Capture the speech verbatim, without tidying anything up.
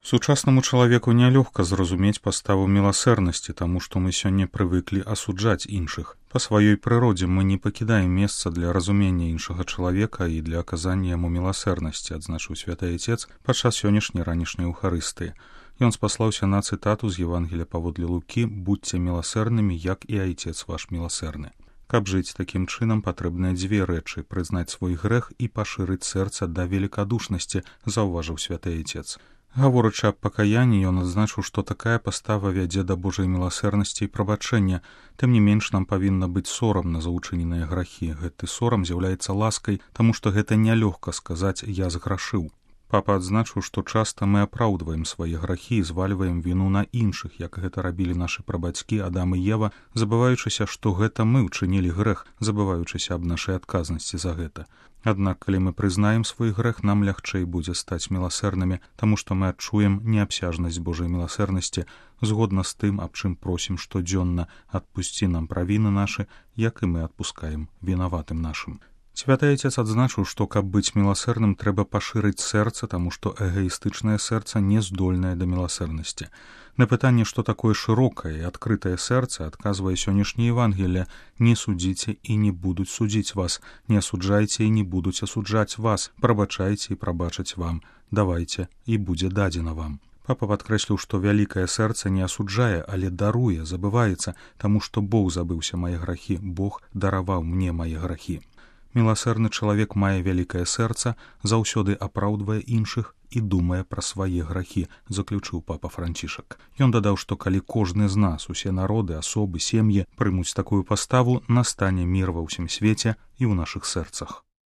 Сучаснаму чалавеку нялёгка зразумець паставу міласэрнасці, таму што мы сёння прывыклі асуджаць іншых. Па сваёй прыродзе мы не пакідаем месца для разумення іншага чалавека і для аказання яму міласэрнасці, адзначыў святы Айцец падчас сённяшняй ранішняй Еўхарыстыі. Ён спаслаўся на цытату з Евангелія паводле Лукі: «Будзьце міласэрнымі, як і Айцец ваш міласэрны». Каб жыць такім чынам, патрэбныя дзве рэчы: прызнаць свой грэх і пашырыць сэрца да велікадушнасці, заўважыў святы Айцец. Гаворачы аб пакаянні, ён адзначыў, што такая пастава вядзе да Божай міласэрнасці і прабачэння. Тым не менш, нам павінна быць сорамна за ўчыненыя грахі. Гэты сорам з'яўляецца ласкай, таму што гэта нялёгка сказаць «я зграшыў». Папа адзначыў, што часта мы апраўдваем свае грахі і звальваем віну на іншых, як гэта рабілі нашы прабацькі Адам і Ева, забываючыся, што гэта мы ўчынілі грэх, забываючыся аб нашай адказнасці за гэта. Аднак, калі мы прызнаем свой грэх, нам лягчэй будзе стаць міласэрнымі, таму што мы адчуем неабсяжнасць Божай міласэрнасці, згодна з тым, аб чым просім штодзённа: адпусці нам правіны нашы, як і мы адпускаем вінаватым нашым. Святы Айцец адзначыў, што каб быць міласэрным, трэба пашырыць сэрца, таму што эгаістычнае сэрца не здольнае да міласэрнасці. На пытанне, што такое шырокае і адкрытае сэрца, адказвае сённяшняе Евангелие: «Не судзіце і не будуць судзіць вас, не асуджайце і не будуць асуджаць вас, прабачайце і прабачаць вам, давайце і будзе дадзена вам». Папа падкрэсліў, што вялікае сэрца не асуджае, але даруе, забываецца, таму што Бог забыўся мае грахі, Бог дараваў мне мае грахі. Міласэрны чалавек мае вялікае сэрца, заўсёды апраўдвае іншых і думае пра свае грахі, заключыў папа Францішак. Ён дадаў, што калі кожны з нас, усе народы, асобы, сем'і прымуць такую паставу, настане мір ва ўсім свеце і ў нашых сэрцах.